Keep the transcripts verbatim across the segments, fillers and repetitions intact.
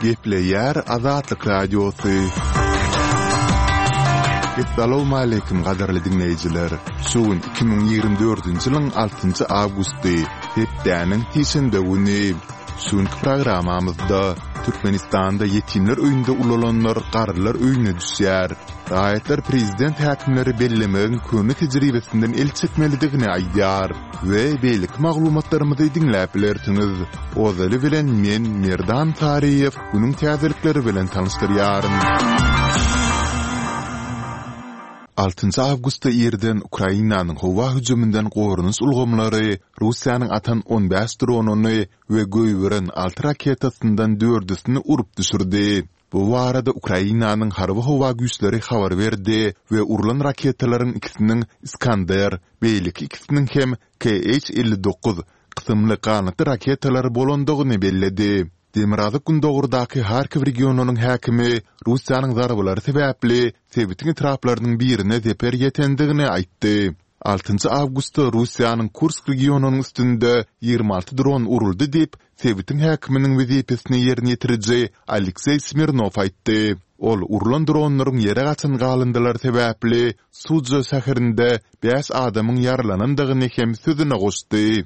Gepleýär Azatlyk Radiosy. Essalawmaleýkim gadyrly diňleýjiler! Şu gün iki müň ýigrimi dördünji ýylyň altynjy awgusty, hepdäniň sişenbe güni. Şu günki programmamyzda Türkmenistanda ýetimler öýünde ulalanlar garrylar öýüne düşýär. Raýatlar prezident häkimleri bellemegiň köne tejribesinden el çekmelidigini aýdýar we beýleki maglumatlarymyzy diňläp bilersiňiz. Ozaly bilen men Merdan Saryýew günüň täzelikleri bilen tanyşdyrýaryn. Altynjy awgustda irden Ukrainanyň howa hüjüminden goranyş ulgamlary Russiýanyň atan on bäş dronyny we goýberen alty raketasyndan dördüsini urup düşürdi. Bu barada Ukrainanyň Harby-howa güýçleri habar berdi we urlan raketalaryň ikisiniň Iskander, beýleki ikisiniň hem KH elli dokuz kysymly ganatly raketalar bolandygyny belledi. Demirgazyk-gündogardaky Harkiw regionynyň häkimi Russiýanyň zarbalary sebäpli sebitiň etraplarynyň birine zeper ýetendigini aýtdy. Altynjy awgustda Russiýanyň Kursk regionynyň üstünde ýigrimi alty dron uruldy diýip, sebitiň häkiminiň wezipesini ýerine ýetiriji Alekseý Smirnow aýtdy. Ol urlan dronlaryň ýere gaçan galyndylary sebäpli Sudža şäherinde bäş adamyň ýaralanandygyny hem sözüne goşdy.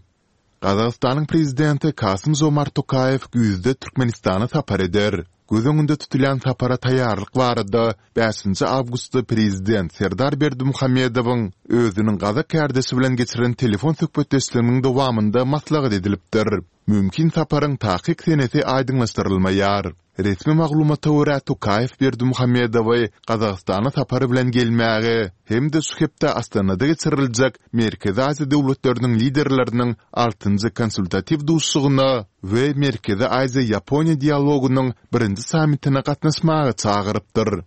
Gazagystanyň Prezidenti Kasym-Žomart Tokaýew güýzde Türkmenistana sapar eder. Göz öňünde tutulýan sapara taýýarlyk barada bäşinji awgustda Prezident Serdar Berdimuhamedowyň özüniň gazak kärdeşi bilen geçiren telefon söhbetdeşliginiň dowamynda maslahat edilipdir. Mümkin saparyň takyk senesi aýdyňlaşdyrylmaýar. Resmi maglumata görä, Tokaýew Berdimuhamedowy Gazagystana sapar bilen gelmäge hem-de şu hepde Astanada geçiriljek Merkezi Aziýa döwletleriniň liderleriniň altynjy konsultatiw duşuşygyna we Merkezi Aziýa-Ýaponiýa dialogynyň birinji sammitine gatnaşmaga çagyrypdyr.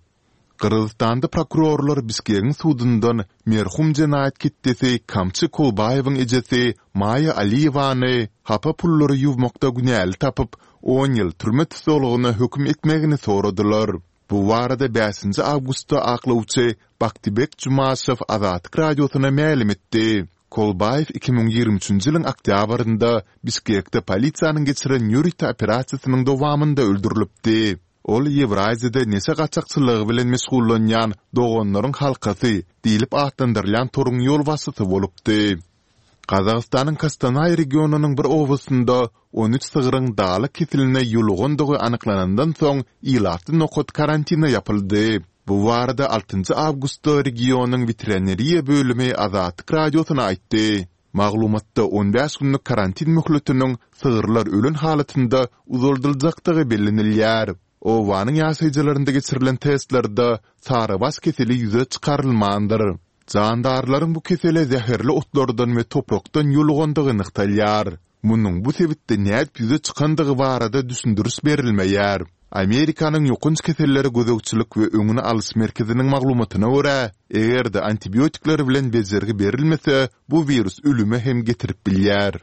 Gyrgyzystanda prokurorlar Bişkegiň sudundan merhum jenaýat ketdesi Kamçy Kolbaýewiň ejesi Maýa Aliýewany hapa pullary ýuwmakda günäli tapyp, on ýyl türme tussaglygyna höküm etmegini soradylar. Bu barada bäşinji awgustda aklawçy Baktybek Jumaşew Azatlyk Radiosyna mälim etdi. Kolbaýew iki müň ýigrimi üçünji ýylyň oktýabrynda Bişkekde polisiýanyň geçiren ýörite operasiýasynyň dowamynda öldürilipdi. Ol Ýewraziýada neşe gaçakçylygy bilen meşgullanýan Doganlaryň halkasy diýlip atlandyrylýan toruň ýolbaşçysy bolupdy. Gazagystanyň Kostanaý regionynyň bir obasynda on üç sygryň dalak keseline ýolugandygy anyklanandan soň ilatly nokat karantine ýapyldy. Bu barada altynjy awgustda regionyň weterinariýa bölümi Azatlyk Radiosyna aýtdy. Maglumatda on bäş günlük karantin möhletiniň sygyrlar ölen halatynda uzaldyljakdygy bellenilýär. Obanyň ýaşaýjylarynda geçirilen testlerde sarybaş keseli ýüze çykarylmandyr. Jandarlaryň bu kesele zäherli otlardan we toprakdan ýolugandygy nygtalýar. Munuň bu sebitde nädip ýüze çykandygy barada düşündiriş berilmeýär. Amerikanyň Ýokanç kesellere gözegçilik we öňüni alyş merkeziniň maglumatyna görä, eger-de antibiotikler bilen bejergi berilmese, bu wirus ölüme hem getirip bilýär.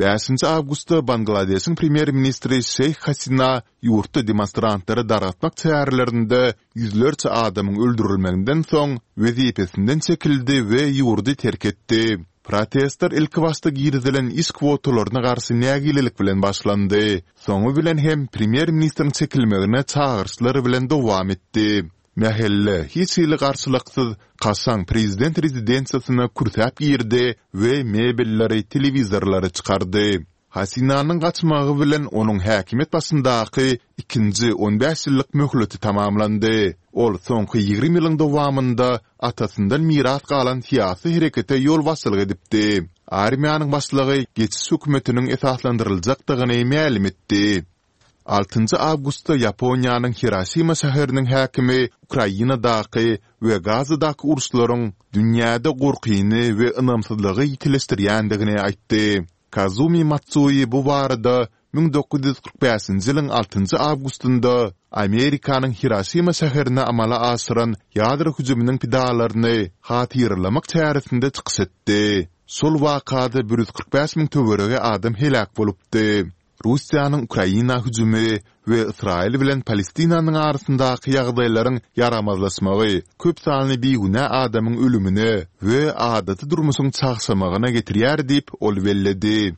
Bäşinji awgustda Bangladeşiň premýer-ministri Şeýh Hasina ýurtda demonstrantlary dargatmak çärelerinde ýüzlerçe adamyň öldürilmeginden soň wezipesinden çekildi we ýurdy terk etdi. Protestler ilkibaşda girizilen iş kwotalaryna garşy nägilelik bilen başlandy, soňy bilen hem premýer-ministriň çekilmegine çagyryşlar bilen dowam etdi. Mähelle hiç hili garşylyksyz kaşaň prezident rezidensiýasyna kürsäp girdi we mebelleri, telewizorlary çykardy. Hasinanyň gaçmagy bilen onuň häkimiýet başyndaky ikinji on bäş ýyllyk möhleti tamamlandy. Ol soňky ýigrimi ýylyň dowamynda atasyndan miras galan syýasy herekete ýolbaşçylyk edipdi. Armiýanyň başlygy geçiş hökümetiniň esaslandyryljakdygyny mälim etdi. Altynjy awgustda Ýaponiýanyň Hiroşima şäheriniň häkimi Ukrainadaky we Gazadaky uruşlaryň dünýäde gorkyny we ynamsyzlygy ýitileşdirýändigini aýtdy. Kazumi Matsui bu barada müň dokuz ýüz kyrk bäşinji ýylyň altynjy awgustynda Amerikanyň Hiroşima şäherine amala aşyran ýadro hüjüminiň pidalaryny hatyralamak çäresinde çykyş etdi. Şol wakada bir ýüz kyrk bäş müň töweregi adam heläk bolupdy. Russiýanyň Ukraina hüjümi we Ysraýyl bilen Palestinanyň arasyndaky ýagdaýlaryň ýaramazlaşmagy köp sanly bigünä adamyň ölümine we adaty durmuşyň çagşamagyna getirýär diýip, ol belledi.